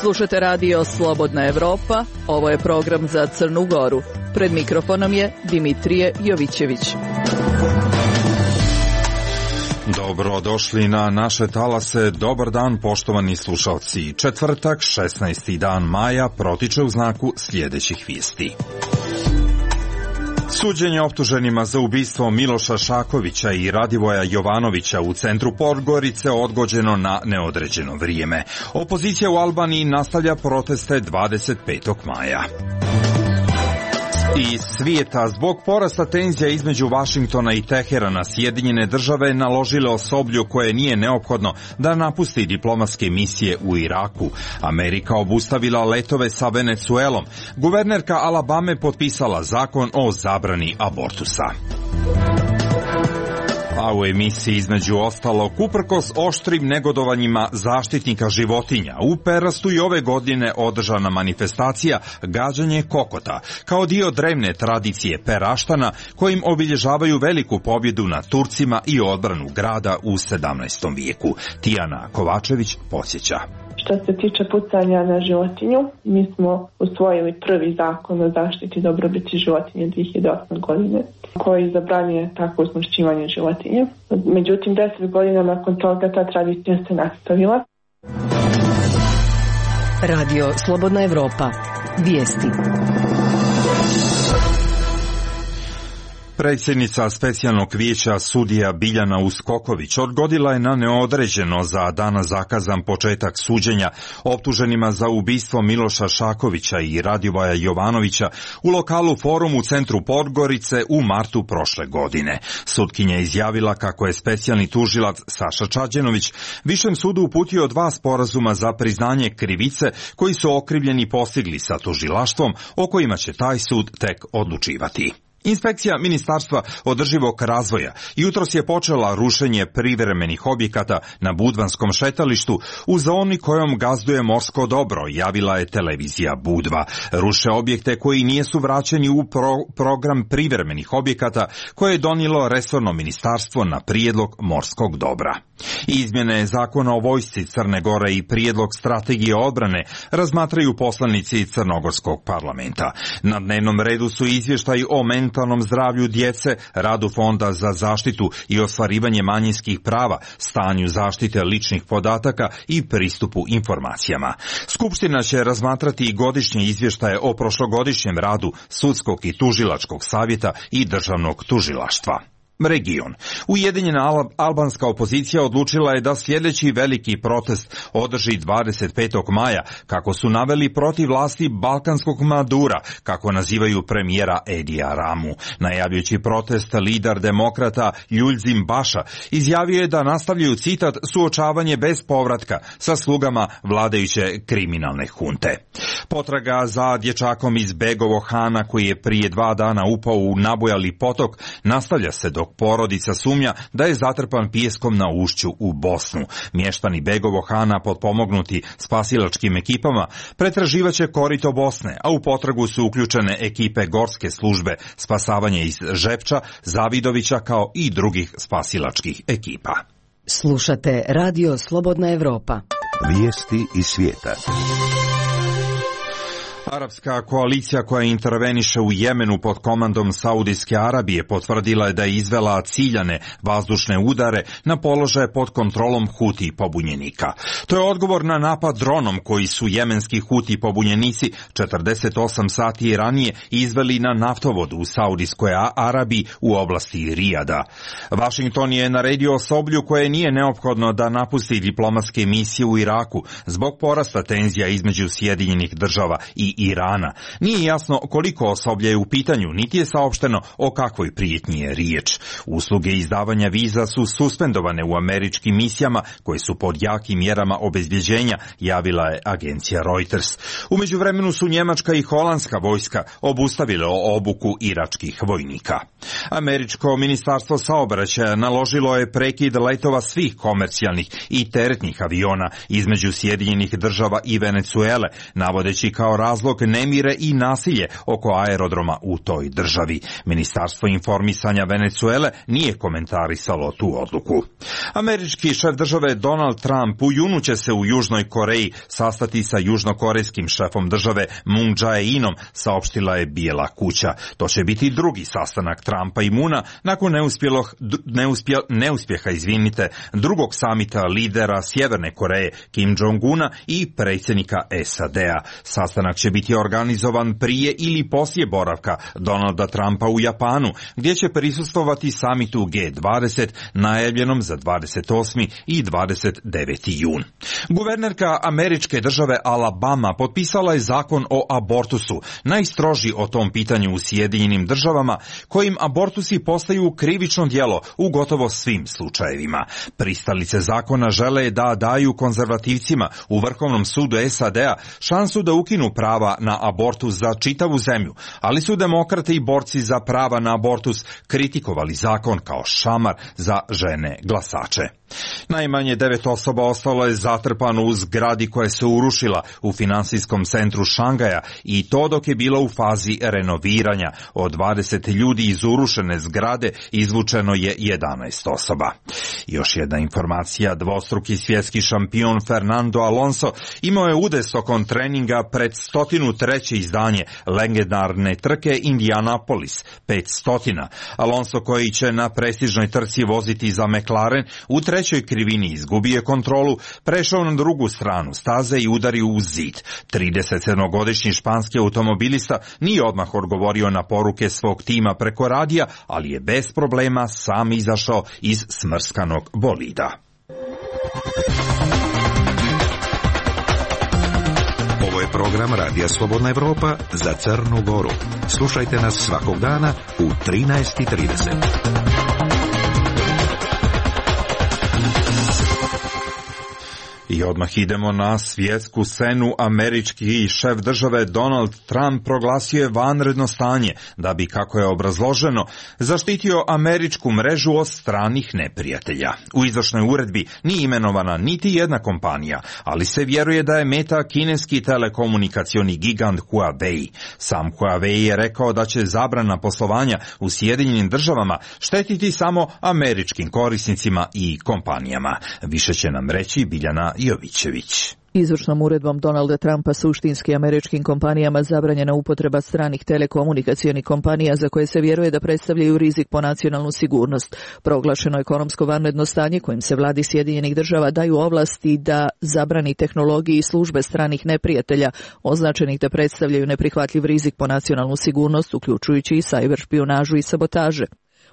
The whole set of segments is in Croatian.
Slušate radio Slobodna Evropa, ovo je program za Crnu Goru. Pred mikrofonom je Dimitrije Jovićević. Dobrodošli na naše talase, dobar dan poštovani slušalci. Četvrtak, 16. dan maja, protiče u znaku sljedećih vijesti. Suđenje optuženima za ubistvo Miloša Šakovića i Radivoja Jovanovića u centru Podgorice odgođeno na neodređeno vrijeme. Opozicija u Albaniji nastavlja proteste 25. maja. Iz svijeta, zbog porasta tenzija između Vašingtona i Teherana, Sjedinjene države naložile osoblju koje nije neophodno da napusti diplomatske misije u Iraku. Amerika obustavila letove sa Venecuelom. Guvernerka Alabame potpisala zakon o zabrani abortusa. A u emisiji između ostalog, uprkos oštrim negodovanjima zaštitnika životinja, u Perastu i ove godine održana manifestacija gađanje kokota, kao dio drevne tradicije Peraštana, kojim obilježavaju veliku pobjedu nad Turcima i odbranu grada u 17. vijeku. Tijana Kovačević podsjeća. Što se tiče pucanja na životinju, mi smo usvojili prvi zakon o zaštiti dobrobiti životinje 2008. godine, koji zabranjuje takvo usmrćivanje životinje. Međutim, 10 godina nakon toga ta tradicija se nastavila. Radio Slobodna Evropa. Vijesti. Predsjednica specijalnog vijeća sudija Biljana Uskoković odgodila je na neodređeno za dana zakazan početak suđenja optuženima za ubistvo Miloša Šakovića i Radivoja Jovanovića u lokalu Forum u centru Podgorice u martu prošle godine. Sutkinja je izjavila kako je specijalni tužilac Saša Čađenović Višem sudu uputio 2 sporazuma za priznanje krivice koji su okrivljeni postigli sa tužilaštvom, o kojima će taj sud tek odlučivati. Inspekcija Ministarstva održivog razvoja jutros je počela rušenje privremenih objekata na Budvanskom šetalištu u zoni kojom gazduje morsko dobro, javila je televizija Budva. Ruše objekte koji nisu vraćeni u program privremenih objekata koje je donijelo resorno ministarstvo na prijedlog morskog dobra. Izmjene zakona o vojsci Crne Gore i prijedlog strategije odbrane razmatraju poslanici Crnogorskog parlamenta. Na dnevnom redu su izvještaji o mentalnom zdravlju djece, radu Fonda za zaštitu i ostvarivanje manjinskih prava, stanju zaštite ličnih podataka i pristupu informacijama. Skupština će razmatrati i godišnje izvještaje o prošlogodišnjem radu Sudskog i tužilačkog savjeta i državnog tužilaštva. Region. Ujedinjena albanska opozicija odlučila je da sljedeći veliki protest održi 25. maja, kako su naveli protiv vlasti balkanskog Madura, kako nazivaju premijera Edija Ramu. Najavljujući protest, lider demokrata Ljuljzim Baša izjavio je da nastavljaju, citat, suočavanje bez povratka sa slugama vladajuće kriminalne hunte. Potraga za dječakom iz Begovog Hana, koji je prije 2 dana upao u nabujali potok, nastavlja se dok porodica sumnja da je zatrpan pijeskom na ušću u Bosnu. Mještani Begovog Hana, potpomognuti spasilačkim ekipama, pretraživaće korito Bosne, a u potragu su uključene ekipe gorske službe spasavanja iz Žepča, Zavidovića, kao i drugih spasilačkih ekipa. Slušate Radio Slobodna Evropa. Vijesti iz svijeta. Arapska koalicija koja interveniše u Jemenu pod komandom Saudijske Arabije potvrdila je da je izvela ciljane vazdušne udare na položaje pod kontrolom Huti pobunjenika. To je odgovor na napad dronom koji su jemenski Huti pobunjenici 48 sati ranije izveli na naftovod u Saudijskoj Arabiji u oblasti Rijada. Vašington je naredio osoblju koje nije neophodno da napusti diplomatske misije u Iraku zbog porasta tenzija između Sjedinjenih država i Irana. Nije jasno koliko osoblja je u pitanju, niti je saopšteno o kakvoj prijetnji je riječ. Usluge izdavanja viza su suspendovane u američkim misijama koje su pod jakim mjerama obezbjeđenja, javila je agencija Reuters. U međuvremenu su njemačka i holandska vojska obustavile obuku iračkih vojnika. Američko ministarstvo saobraćaja naložilo je prekid letova svih komercijalnih i teretnih aviona između Sjedinjenih država i Venecuele, navodeći kao razlog razlog nemire i nasilje oko aerodroma u toj državi. Ministarstvo informisanja Venecuele nije komentarisalo tu odluku. Američki šef države Donald Trump u junu će se u Južnoj Koreji sastati sa južnokorejskim šefom države Moon Jae-inom, saopštila je Bijela kuća. To će biti drugi sastanak Trumpa i Moona nakon neuspjeha drugog samita lidera Sjeverne Koreje Kim Jong-una i predsjednika SAD-a. Sastanak će biti organizovan prije ili poslije boravka Donalda Trumpa u Japanu, gdje će prisustvovati samitu G20 najavljenom za 28. i 29. jun. Guvernerka američke države Alabama potpisala je zakon o abortusu, najstroži o tom pitanju u Sjedinjenim državama, kojim abortusi postaju krivično djelo u gotovo svim slučajevima. Pristalice zakona žele da daju konzervativcima u Vrhovnom sudu SAD-a šansu da ukinu prava na abortus za čitavu zemlju, ali su demokrate i borci za prava na abortus kritikovali zakon kao šamar za žene glasače. Najmanje 9 osoba ostalo je zatrpano u zgradi koja se urušila u finansijskom centru Šangaja, i to dok je bila u fazi renoviranja. Od 20 ljudi iz urušene zgrade izvučeno je 11 osoba. Još jedna informacija: dvostruki svjetski šampion Fernando Alonso imao je udes tokom treninga pred 103. izdanje legendarne trke Indianapolis 500. Alonso, koji će na prestižnoj trci voziti za McLaren, u trećoj krivini izgubio je kontrolu, prešao na drugu stranu staze i udario u zid. 37-godišnji španski automobilista nije odmah odgovorio na poruke svog tima preko radija, ali je bez problema sam izašao iz smrskanog bolida. Ovo je program Radija Slobodna Evropa za Crnu Goru. Slušajte nas svakog dana u 13:30. I odmah idemo na svjetsku scenu. Američki šef države Donald Trump proglasio je vanredno stanje da bi, kako je obrazloženo, zaštitio američku mrežu od stranih neprijatelja. U izvršnoj uredbi nije imenovana niti jedna kompanija, ali se vjeruje da je meta kineski telekomunikacioni gigant Huawei. Sam Huawei je rekao da će zabrana poslovanja u Sjedinjenim državama štetiti samo američkim korisnicima i kompanijama. Više će nam reći Biljana Jovićević. Izvršnom uredbom Donalda Trumpa suštinski američkim kompanijama zabranjena upotreba stranih telekomunikacionih kompanija za koje se vjeruje da predstavljaju rizik po nacionalnu sigurnost. Proglašeno ekonomsko vanredno stanje kojim se vladi Sjedinjenih država daju ovlasti da zabrani tehnologiji i službe stranih neprijatelja označenih da predstavljaju neprihvatljiv rizik po nacionalnu sigurnost, uključujući i sajber špijunažu i sabotaže.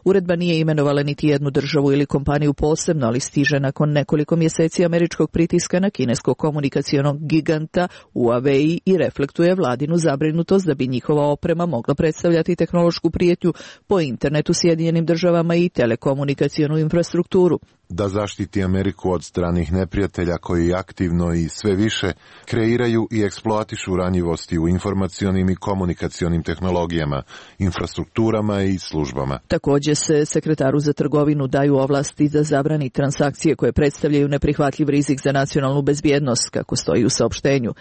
Uredba nije imenovala niti jednu državu ili kompaniju posebno, ali stiže nakon nekoliko mjeseci američkog pritiska na kineskog komunikacionog giganta Huawei i reflektuje vladinu zabrinutost da bi njihova oprema mogla predstavljati tehnološku prijetnju po internetu Sjedinjenim državama i telekomunikacionu infrastrukturu. Da zaštiti Ameriku od stranih neprijatelja koji aktivno i sve više kreiraju i eksploatišu ranjivosti u informacionim i komunikacionim tehnologijama, infrastrukturama i službama. Također se sekretaru za trgovinu daju ovlasti da zabrani transakcije koje predstavljaju neprihvatljiv rizik za nacionalnu bezbjednost, kako stoji u saopštenju.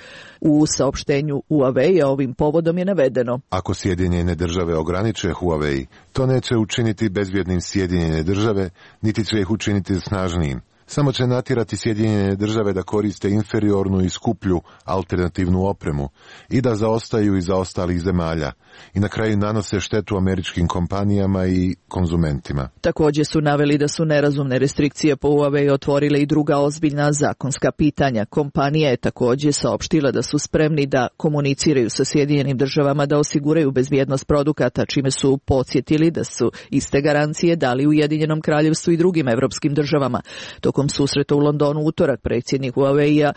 U saopštenju Huawei ovim povodom je navedeno: ako Sjedinjene države ograniče Huawei, to neće učiniti bezbjednim Sjedinjene države, niti će ih učiniti snažnijim. Samo će natjerati Sjedinjene države da koriste inferiornu i skuplju alternativnu opremu i da zaostaju iza ostalih zemalja i na kraju nanose štetu američkim kompanijama i konzumentima. Također su naveli da su nerazumne restrikcije po Huawei otvorile i druga ozbiljna zakonska pitanja. Kompanija je također saopštila da su spremni da komuniciraju sa Sjedinjenim državama da osiguraju bezbjednost produkata, čime su podsjetili da su iste garancije dali Ujedinjenom Kraljevstvu i drugim evropskim državama. Tokom susreta u Londonu utorak predsjednik Huawei-a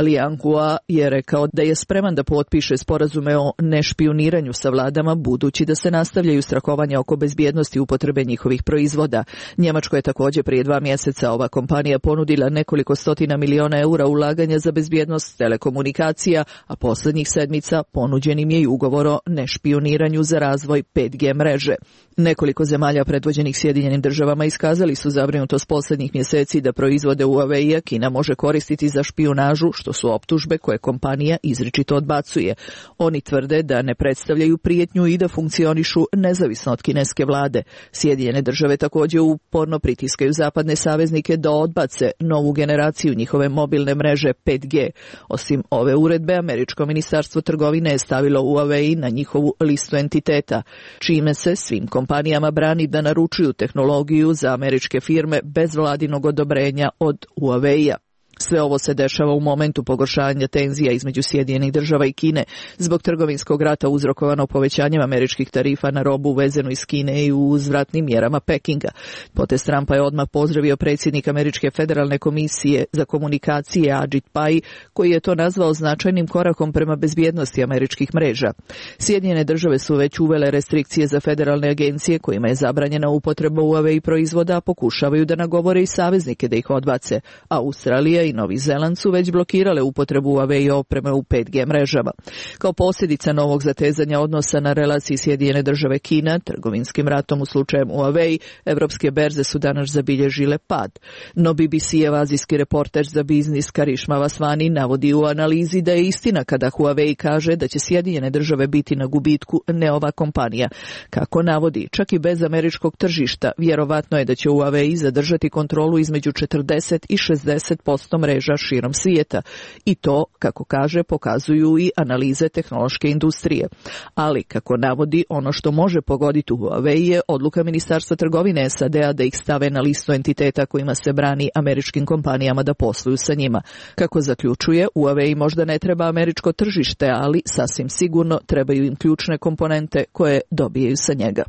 Liang Hua je rekao da je spreman da potpiše sporazume o nešpijuniranju sa vladama, budući da se nastavljaju strahovanja oko bezbjednosti upotrebe njihovih proizvoda. Njemačkoj je također prije 2 mjeseca ova kompanija ponudila nekoliko stotina miliona eura ulaganja za bezbjednost telekomunikacija, a posljednjih sedmica ponuđenim je i ugovor o nešpijuniranju za razvoj 5G mreže. Nekoliko zemalja predvođenih Sjedinjenim državama iskazali su zabrinutost posljednjih mjeseci da proizvode Huawei-a Kina može koristiti za špijunažu, što su optužbe koje kompanija izričito odbacuje. Oni tvrde da ne predstavljaju prijetnju i da funkcionišu nezavisno od kineske vlade. Sjedinjene države također uporno pritiskaju zapadne saveznike da odbace novu generaciju njihove mobilne mreže 5G. Osim ove uredbe, američko ministarstvo trgovine je stavilo Huawei na njihovu listu entiteta, čime se svim kompanijama brani da naručuju tehnologiju za američke firme bez vladinog odobrenja od Huawei-a. Sve ovo se dešava u momentu pogoršanja tenzija između Sjedinjenih država i Kine zbog trgovinskog rata uzrokovano povećanjem američkih tarifa na robu uvezenu iz Kine i uzvratnim mjerama Pekinga. Potez Trumpa je odmah pozdravio predsjednik Američke federalne komisije za komunikacije Ajit Pai, koji je to nazvao značajnim korakom prema bezbjednosti američkih mreža. Sjedinjene države su već uvele restrikcije za federalne agencije kojima je zabranjena upotreba Huawei proizvoda, a pokušavaju da nagovore i saveznike da ih odbace. Australija i Novi Zeland su već blokirale upotrebu Huawei opreme u 5G mrežama. Kao posljedica novog zatezanja odnosa na relaciji Sjedinjene države Kina, trgovinskim ratom u slučajem Huawei, evropske berze su danas zabilježile pad. No BBC-ev azijski reporter za biznis Karišma Vasvani navodi u analizi da je istina kada Huawei kaže da će Sjedinjene države biti na gubitku, ne ova kompanija. Kako navodi, čak i bez američkog tržišta, vjerovatno je da će Huawei zadržati kontrolu između 40 i 60% mreža širom svijeta. I to, kako kaže, pokazuju i analize tehnološke industrije. Ali, kako navodi, ono što može pogoditi Huawei je odluka Ministarstva trgovine SAD-a da ih stave na listu entiteta kojima se brani američkim kompanijama da posluju sa njima. Kako zaključuje, Huawei možda ne treba američko tržište, ali sasvim sigurno trebaju im ključne komponente koje dobijaju sa njega.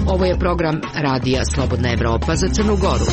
Ovo je program Radija Slobodna Evropa za Crnu Goru.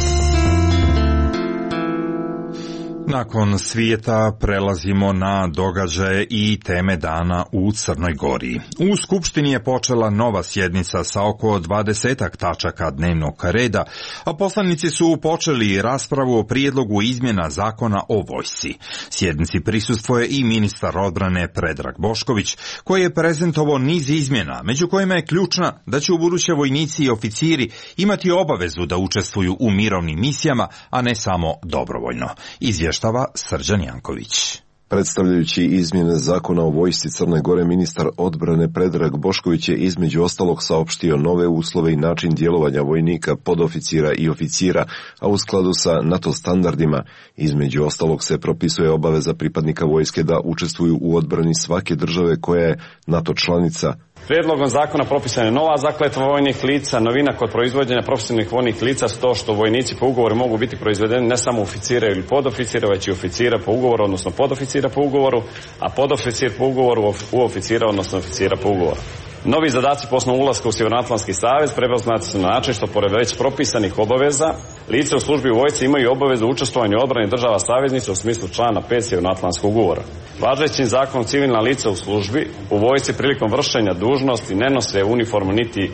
Nakon svijeta prelazimo na događaje i teme dana u Crnoj Gori. U Skupštini je počela nova sjednica sa oko 20 tačaka dnevnog reda, a poslanici su počeli raspravu o prijedlogu izmjena zakona o vojsci. Sjednici prisustvuje i ministar odbrane Predrag Bošković, koji je prezentovao niz izmjena, među kojima je ključna da će ubuduće vojnici i oficiri imati obavezu da učestvuju u mirovnim misijama, a ne samo dobrovoljno. Izvještava Srđan Janković. Predstavljajući izmjene zakona o vojsci Crne Gore, ministar odbrane Predrag Bošković je između ostalog saopštio nove uslove i način djelovanja vojnika, podoficira i oficira, a u skladu sa NATO standardima. Između ostalog se propisuje obaveza pripadnika vojske da učestvuju u odbrani svake države koja je NATO članica. Prijedlogom zakona propisana je nova zakletva vojnih lica. Novina kod proizvođenja profesionalnih vojnih lica su to što vojnici po ugovoru mogu biti proizvedeni ne samo oficira ili podoficira, već i oficira po ugovoru, odnosno podoficira po ugovoru, a podoficir po ugovoru u oficira, odnosno oficira po ugovoru. Novi zadaci po osnovu ulaska u Sjevernoatlantski savez prepoznati su na način što pored već propisanih obaveza, lice u službi u vojsci imaju obavezu učestvovanja u odbrani država saveznica u smislu člana 5 Sjevernoatlantskog ugovora. Važećim zakonom civilna lica u službi u vojsci prilikom vršenja dužnosti ne nose uniformu niti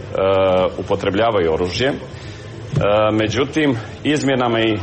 upotrebljavaju oružje. Međutim, izmjenama i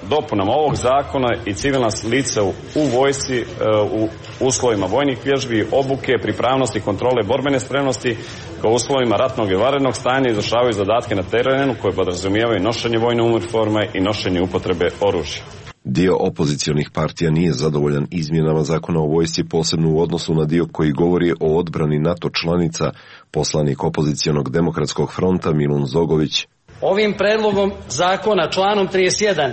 dopunama ovog zakona i civilna lica u vojsci u uslovima vojnih vježbi, obuke, pripravnosti, kontrole borbene spremnosti kao uslovima ratnog i vanrednog stanja izvršavaju zadatke na terenu koje podrazumijevaju nošenje vojne uniforme i nošenje upotrebe oružja. Dio opozicionih partija nije zadovoljan izmjenama zakona o vojsci, posebno u odnosu na dio koji govori o odbrani NATO članica. Poslanik opozicionog demokratskog fronta Milun Zogović. Ovim predlogom zakona članom 31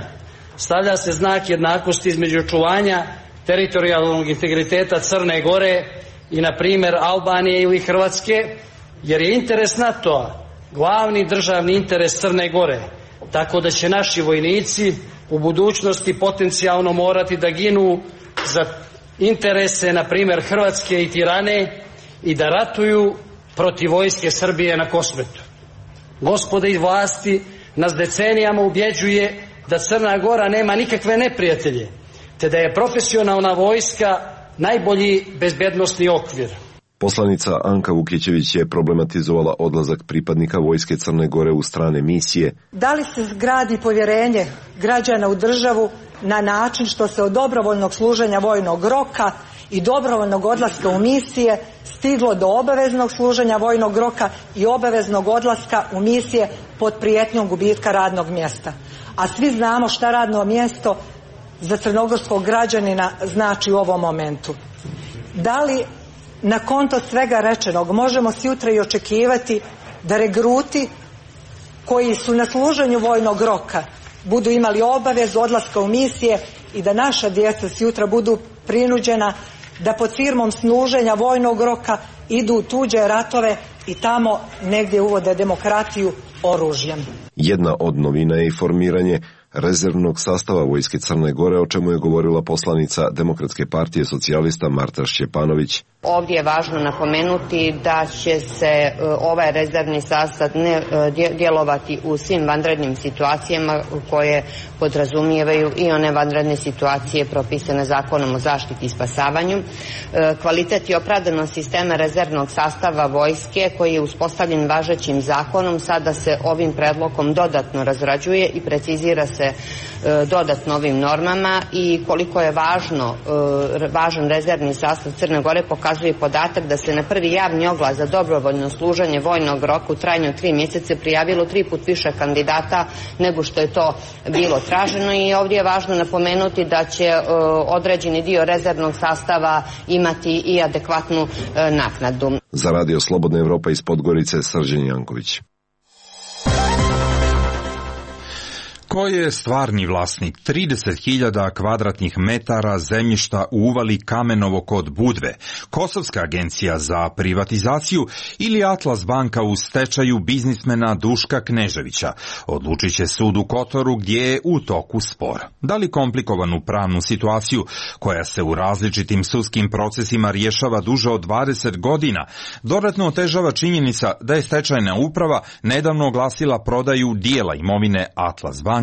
stavlja se znak jednakosti između očuvanja teritorijalnog integriteta Crne Gore i, na primjer, Albanije ili Hrvatske, jer je interes NATO-a glavni državni interes Crne Gore, tako da će naši vojnici u budućnosti potencijalno morati da ginu za interese, na primjer, Hrvatske i Tirane i da ratuju protiv vojske Srbije na Kosmetu. Gospoda iz vlasti nas decenijama ubjeđuje da Crna Gora nema nikakve neprijatelje, te da je profesionalna vojska najbolji bezbednosni okvir. Poslanica Anka Vukićević je problematizovala odlazak pripadnika vojske Crne Gore u strane misije. Da li se zgradi povjerenje građana u državu na način što se od dobrovoljnog služenja vojnog roka i dobrovoljnog odlaska u misije stiglo do obaveznog služenja vojnog roka i obaveznog odlaska u misije pod prijetnjom gubitka radnog mjesta. A svi znamo šta radno mjesto za crnogorskog građanina znači u ovom momentu. Da li na konto svega rečenog možemo sutra i očekivati da regruti koji su na služenju vojnog roka budu imali obavezu odlaska u misije i da naša djeca sutra budu prinuđena da pod firmom služenja vojnog roka idu u tuđe ratove i tamo negdje uvode demokratiju oružjem. Jedna od novina je i formiranje rezervnog sastava Vojske Crne Gore, o čemu je govorila poslanica Demokratske partije socijalista Marta Šćepanović. Ovdje je važno napomenuti da će se ovaj rezervni sastav ne djelovati u svim vanrednim situacijama koje podrazumijevaju i one vanredne situacije propisane Zakonom o zaštiti i spasavanju. Kvalitet i opravdanost sistema rezervnog sastava vojske koji je uspostavljen važećim zakonom sada se ovim predlogom dodatno razrađuje i precizira se dodatno ovim normama i koliko je važan rezervni sastav Crne Gore pokazuje podatak da se na prvi javni oglas za dobrovoljno služenje vojnog roka u trajanju od 3 mjeseca prijavilo 3 puta više kandidata nego što je to bilo traženo i ovdje je važno napomenuti da će određeni dio rezervnog sastava imati i adekvatnu naknadu. Za Radio Slobodna Evropa iz Podgorice, Srđan Janković. Ko je stvarni vlasnik 30.000 kvadratnih metara zemljišta u uvali Kamenovo kod Budve, Kosovska agencija za privatizaciju ili Atlas banka u stečaju biznismena Duška Kneževića, odlučit će sud u Kotoru gdje je u toku spor. Da li komplikovanu pravnu situaciju koja se u različitim sudskim procesima rješava duže od 20 godina, dodatno otežava činjenica da je stečajna uprava nedavno oglasila prodaju dijela imovine Atlas banke.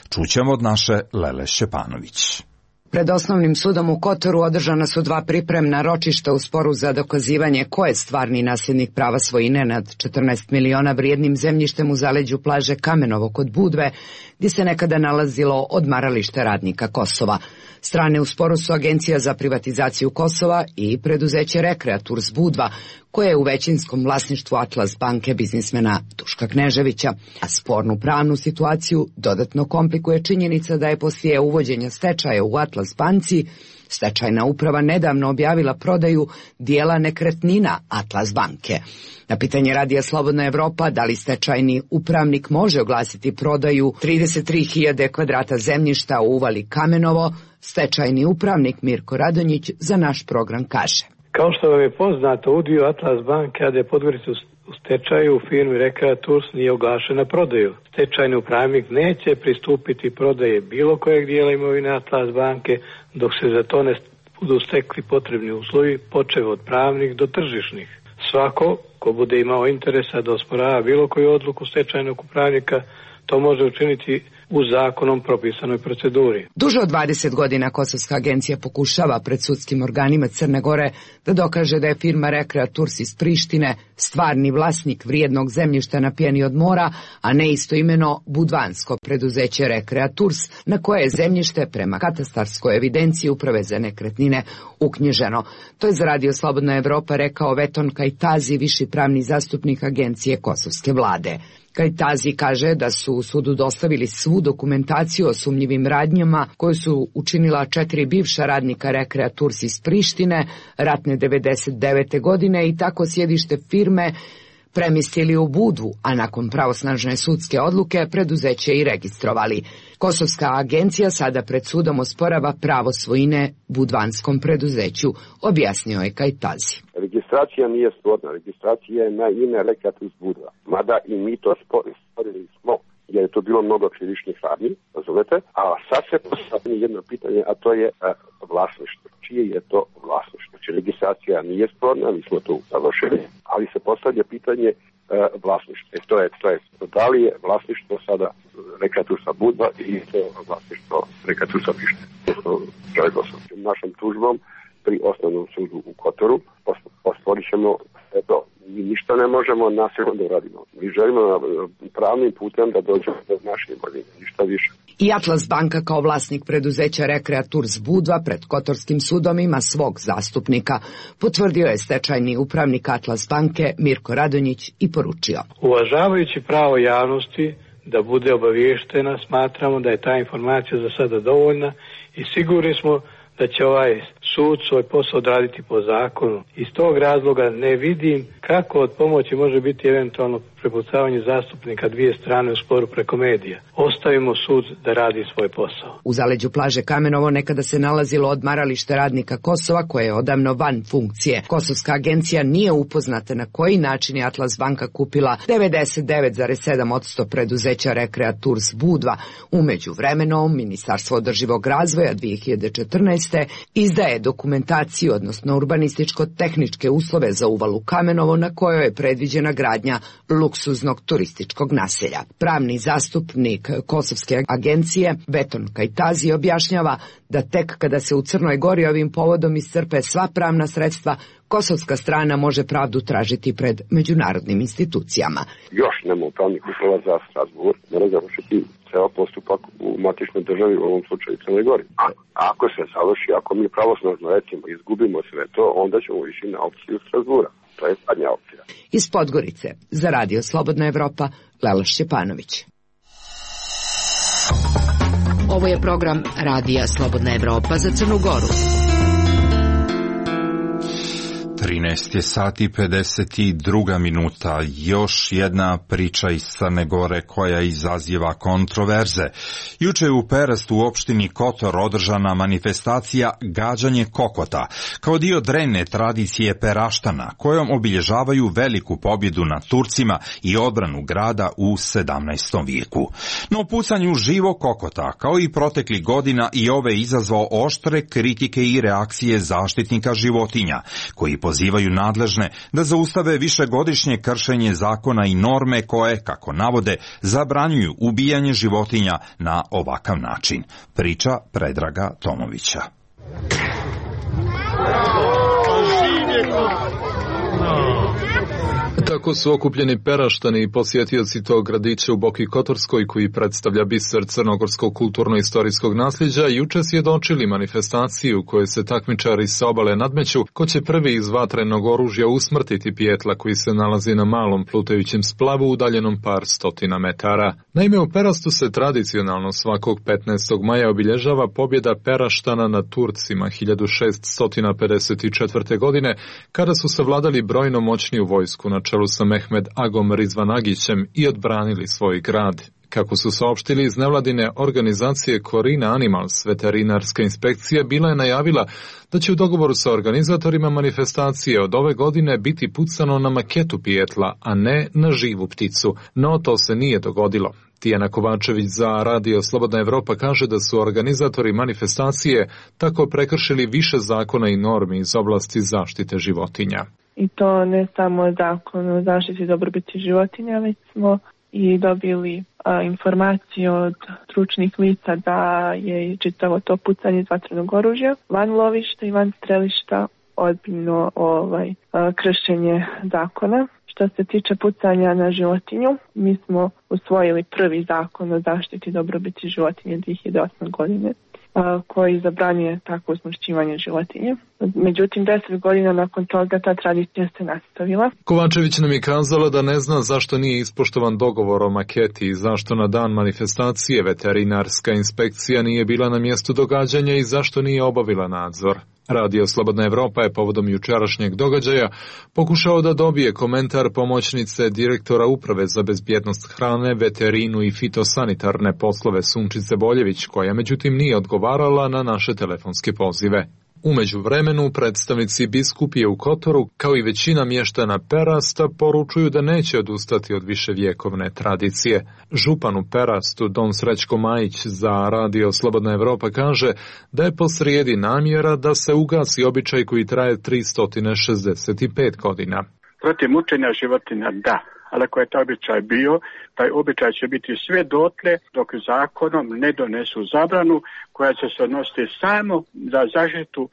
Čućemo od naše Lele Šćepanović. Pred osnovnim sudom u Kotoru održana su 2 pripremna ročišta u sporu za dokazivanje ko je stvarni nasljednik prava svojine nad 14 miliona vrijednim zemljištem u zaleđu plaže Kamenovo kod Budve, gdje se nekada nalazilo odmaralište radnika Kosova. Strane u sporu su Agencija za privatizaciju Kosova i preduzeće Rekreaturs Budva, koje je u većinskom vlasništvu Atlas banke biznismena Duška Kneževića. A spornu pravnu situaciju dodatno komplikuje činjenica da je poslije uvođenja stečaja u Atlas banci stečajna uprava nedavno objavila prodaju dijela nekretnina Atlas banke. Na pitanje Radija Slobodna Evropa da li stečajni upravnik može oglasiti prodaju 33.000 kvadrata zemljišta u uvali Kamenovo, stečajni upravnik Mirko Radonjić za naš program kaže. Kao što vam je poznato, udio Atlas banke AD Podgorica u stečaju u firmi Rekreaturs nije oglašen na prodaju. Stečajni upravnik neće pristupiti prodaje bilo kojeg dijela imovine Atlas banke dok se za to ne budu stekli potrebni uslovi, počev od pravnih do tržišnih. Svako ko bude imao interesa da osporava bilo koju odluku stečajnog upravnika, to može učiniti u zakonom propisanoj proceduri. Duže od 20 godina Kosovska agencija pokušava pred sudskim organima Crne Gore da dokaže da je firma Rekreaturs iz Prištine stvarni vlasnik vrijednog zemljišta na pjeni od mora, a ne istoimeno budvansko preduzeće Rekreaturs, na koje je zemljište prema katastarskoj evidenciji Uprave za nekretnine uknjiženo. To je za Radio Slobodna Evropa rekao Veton Kajtazi, viši pravni zastupnik agencije kosovske vlade. Kajtazi kaže da su u sudu dostavili svu dokumentaciju o sumnjivim radnjama koju su učinila 4 bivša radnika Rekreaturs iz Prištine ratne 99. godine i tako sjedište firme premjestili u Budvu, a nakon pravosnažne sudske odluke preduzeće i registrovali. Kosovska agencija sada pred sudom osporava pravo svojine budvanskom preduzeću, objasnio je Kajtazi. Registracija nije sporna, registracija je na ime Rekreaturs Budva, mada i mi to sporili smo, jer je to bilo mnogo krivičnih radnji, razumete, a sad se postavlja jedno pitanje, a to je vlasništvo. Čije je to vlasništvo? Znači, registracija nije sporna, mi smo to završili, ali se postavlja pitanje vlasništva. To je, da li je vlasništvo sada Rekreatursa Budva ili to vlasništvo Rekreatursa Prištine? Našom tužbom pri osnovnom sudu u Kotoru osporit ćemo sve to. Mi ništa ne možemo nasilno da uradimo. Mi želimo pravnim putem da dođemo do naše imovine, ništa više. I Atlas banka kao vlasnik preduzeća Rekrea Tours Budva pred Kotorskim sudom ima svog zastupnika. Potvrdio je stečajni upravnik Atlas banke Mirko Radonjić i poručio. Uvažavajući pravo javnosti da bude obaviještena, smatramo da je ta informacija za sada dovoljna i sigurni smo da će ovaj sud svoj posao odraditi po zakonu. Iz tog razloga ne vidim kako od pomoći može biti eventualno prepucavanje zastupnika dvije strane u sporu preko medija. Ostavimo sud da radi svoj posao. U zaleđu plaže Kamenovo nekada se nalazilo odmaralište radnika Kosova koje je odavno van funkcije. Kosovska agencija nije upoznata na koji način je Atlas banka kupila 99,7% preduzeća Rekrea Tours Budva. U međuvremenu Ministarstvo održivog razvoja 2014. izdaje dokumentaciju, odnosno urbanističko-tehničke uslove za uvalu Kamenovo na kojoj je predviđena gradnja luksuznog turističkog naselja. Pravni zastupnik Kosovske agencije Beton Kajtazi objašnjava da tek kada se u Crnoj Gori ovim povodom iscrpe sva pravna sredstva, kosovska strana može pravdu tražiti pred međunarodnim institucijama. Još nema pravnih uslova za Strasbourg, mora završiti ceo postupak u matičnoj državi, u ovom slučaju Crnoj Gori. Ako se završi, ako mi pravosnažno recimo izgubimo sve to, onda ćemo ići na opciju Strasbourga. To je zadnja opcija. Iz Podgorice, za Radio Slobodna Evropa, Lela Šćepanović. Ovo je program Radija Slobodna Evropa za Crnu Goru. 13 sati i 52 minuta. Još jedna priča iz Crne Gore koja izaziva kontroverze. Juče je u Perastu u opštini Kotor održana manifestacija Gađanje kokota, kao dio drevne tradicije Peraštana, kojom obilježavaju veliku pobjedu nad Turcima i odbranu grada u 17. vijeku. No pucanju živo kokota, kao i protekli godina, i ove izazvao oštre kritike i reakcije zaštitnika životinja, koji pozivaju nadležne da zaustave višegodišnje kršenje zakona i norme koje, kako navode, zabranjuju ubijanje životinja na ovakav način. Priča Predraga Tomovića. Tako su okupljeni Peraštani i posjetioci tog gradića u Boki Kotorskoj, koji predstavlja biser crnogorskog kulturno-istorijskog nasljeđa, juče svjedočili manifestaciju u kojoj se takmičari sa obale nadmeću ko će prvi iz vatrenog oružja usmrtiti pijetla koji se nalazi na malom plutajućem splavu udaljenom par stotina metara. Naime, u Perastu se tradicionalno svakog 15. maja obilježava pobjeda Peraštana nad Turcima 1654. godine, kada su savladali brojno moćniju vojsku na čelu sa Mehmed Agom Rizvanagićem i odbranili svoj grad. Kako su saopštili iz nevladine organizacije Corina Animals, veterinarska inspekcija bila je najavila da će u dogovoru sa organizatorima manifestacije od ove godine biti pucano na maketu pijetla, a ne na živu pticu. No to se nije dogodilo. Tijana Kovačević za Radio Slobodna Evropa kaže da su organizatori manifestacije tako prekršili više zakona i normi iz oblasti zaštite životinja. I to ne samo zakon o zaštiti dobrobiti životinja, već smo i dobili informaciju od stručnih lica da je čitavo to pucanje iz vatrenog oružja van lovišta i van strelišta ozbiljno kršenje zakona. Što se tiče pucanja na životinju, mi smo usvojili prvi zakon o zaštiti dobrobiti životinje 2008. godine, koji zabranjuje takvo usmrćivanje životinje. Međutim, 10 godina nakon toga ta tradicija se nastavila. Kovačević nam je kazala da ne zna zašto nije ispoštovan dogovor o maketi i zašto na dan manifestacije veterinarska inspekcija nije bila na mjestu događanja i zašto nije obavila nadzor. Radio Slobodna Evropa je povodom jučerašnjeg događaja pokušao da dobije komentar pomoćnice direktora Uprave za bezbjednost hrane, veterinu i fitosanitarne poslove Sunčice Boljević, koja međutim nije odgovarala na naše telefonske pozive. U međuvremenu predstavnici biskupije u Kotoru, kao i većina mještana Perasta, poručuju da neće odustati od viševjekovne tradicije. Župan u Perastu, don Srećko Majić za Radio Slobodna Evropa kaže da je posrijedi namjera da se ugasi običaj koji traje 365 godina. Protiv mučenja životinja da, ali ako je taj običaj bio, taj običaj će biti sve dotle dok zakonom ne donesu zabranu koja će se odnositi samo za zaštitu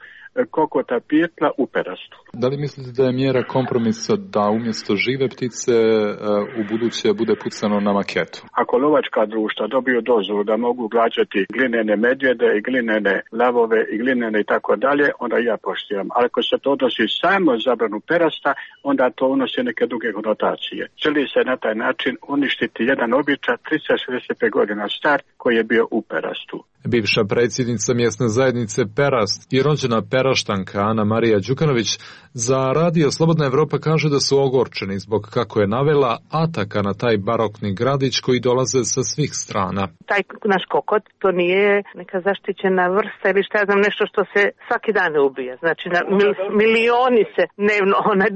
kokota pijetla u perastu. Da li mislite da je mjera kompromisa da umjesto žive ptice u buduće bude pucano na maketu? Ako lovačka društva dobiju dozvolu da mogu gađati glinene medvjede i glinene lavove i glinene i tako dalje, onda ja poštivam. Ali ako se to odnosi samo zabranu perasta, onda to unosi neke druge konotacije. Želi se na taj način uništiti jedan običaj 365 godina star koji je bio u perastu. Bivša predsjednica mjesne zajednice Perast i rođena Peraštanka Ana Marija Đukanović za Radio Slobodna Evropa kaže da su ogorčeni zbog, kako je navela, ataka na taj barokni gradić koji dolaze sa svih strana. Taj naš kokot, to nije neka zaštićena vrsta ili šta ja znam, nešto što se svaki dan ubija. Znači milioni se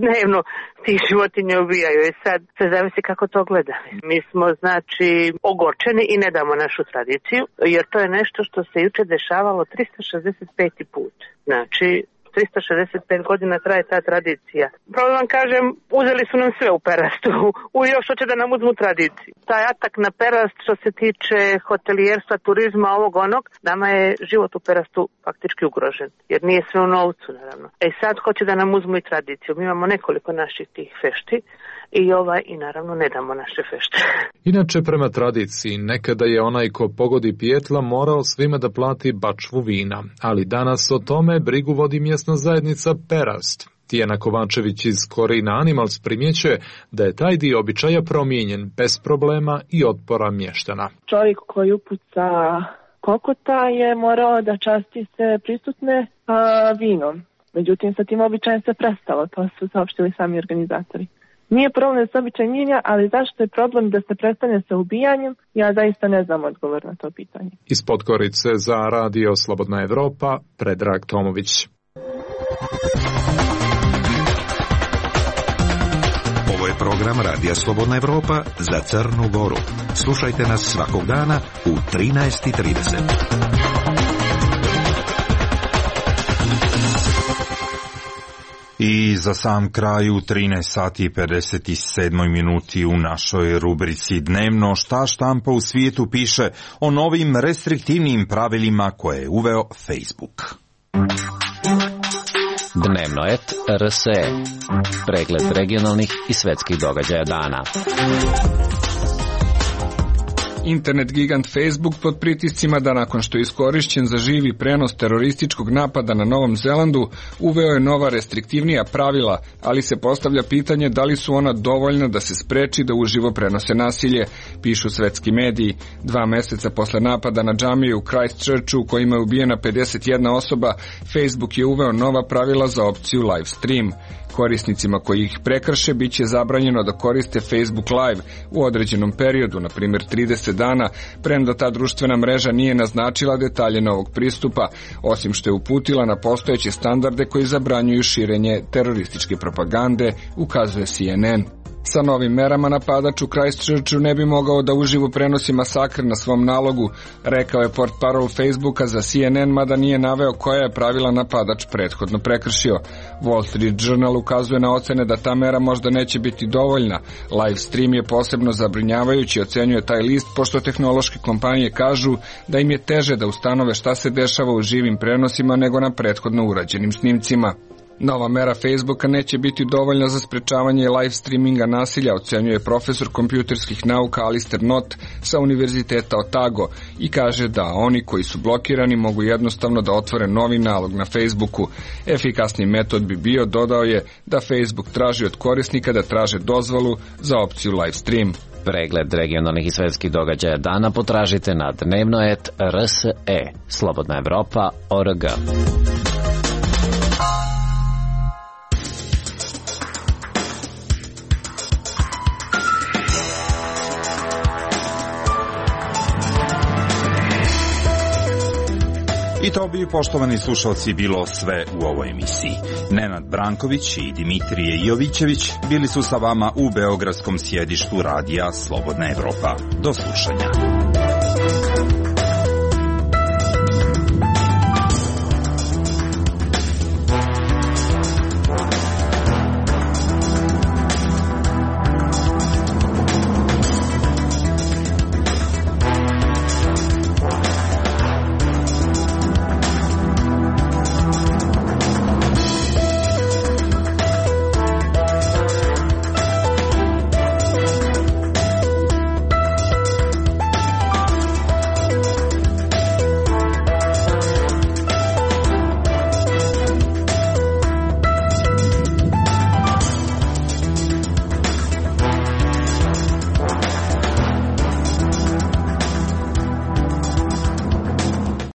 dnevno tih životinja ubijaju i sad se zavisi kako to gleda. Mi smo znači ogorčeni i ne damo našu tradiciju, jer to je nešto što se juče dešavalo 365. put. Znači 365 godina traje ta tradicija. Pravo vam kažem, uzeli su nam sve u Perastu, još hoće da nam uzmu tradiciju. Taj atak na Perast što se tiče hotelijerstva, turizma, ovog onog, nama je život u Perastu faktički ugrožen, jer nije sve u novcu naravno. Sad hoće da nam uzmu i tradiciju. Mi imamo nekoliko naših tih fešti i naravno ne damo naše fešte. Inače, prema tradiciji, nekada je onaj ko pogodi pijetla morao svima da plati bačvu vina, ali danas o tome brigu vodi mjesna zajednica Perast. Tijana Kovačević iz Corina Animals primjećuje da je taj dio običaja promijenjen bez problema i otpora mještana. Čovjek koji upuca kokota je morao da časti se prisutne vinom. Međutim, sa tim običajem se prestalo, to su saopštili sami organizatori. Nije problem da se običaj mijenja, ali zašto je problem da se prestane sa ubijanjem? Ja zaista ne znam odgovor na to pitanje. Iz Podgorice za Radio Slobodna Evropa, Predrag Tomović. Ovo je program Radija Slobodna Evropa za Crnu Goru. Slušajte nas svakog dana u 13:30. I za sam kraj u 13:57 u našoj rubrici Dnevno šta štampa u svijetu piše o novim restriktivnim pravilima koje je uveo Facebook. Dnevnoet RSE. Pregled regionalnih i svetskih događaja dana. Internet gigant Facebook pod pritiscima da nakon što je iskorišćen za živi prenos terorističkog napada na Novom Zelandu, uveo je nova restriktivnija pravila, ali se postavlja pitanje da li su ona dovoljna da se spreči da uživo prenose nasilje, pišu svetski mediji. 2 mjeseca posle napada na džamiju u Christchurchu u kojima je ubijena 51 osoba, Facebook je uveo nova pravila za opciju live stream. Korisnicima koji ih prekrše bit će zabranjeno da koriste Facebook Live u određenom periodu, na primjer 30 dana, premda ta društvena mreža nije naznačila detalje novog pristupa, osim što je uputila na postojeće standarde koji zabranjuju širenje terorističke propagande, ukazuje CNN. Sa novim merama napadač u Christchurchu ne bi mogao da uživo prenosi masakr na svom nalogu, rekao je portparol Facebooka za CNN, mada nije naveo koja je pravila napadač prethodno prekršio. Wall Street Journal ukazuje na ocene da ta mera možda neće biti dovoljna. Live stream je posebno zabrinjavajući, ocenjuje taj list, pošto tehnološke kompanije kažu da im je teže da ustanove šta se dešava u živim prenosima nego na prethodno urađenim snimcima. Nova mera Facebooka neće biti dovoljna za sprečavanje live streaminga nasilja, ocenjuje profesor kompjuterskih nauka Alistair Knott sa Univerziteta Otago i kaže da oni koji su blokirani mogu jednostavno da otvore novi nalog na Facebooku. Efikasni metod bi bio, dodao je, da Facebook traži od korisnika da traže dozvolu za opciju live stream. Pregled regionalnih i svetskih događaja dana potražite na dnevnoet RSE, Slobodna Evropa.org. I to bi, poštovani slušalci, bilo sve u ovoj emisiji. Nenad Branković i Dimitrije Jovićević bili su sa vama u beogradskom sjedištu Radija Slobodna Evropa. Do slušanja.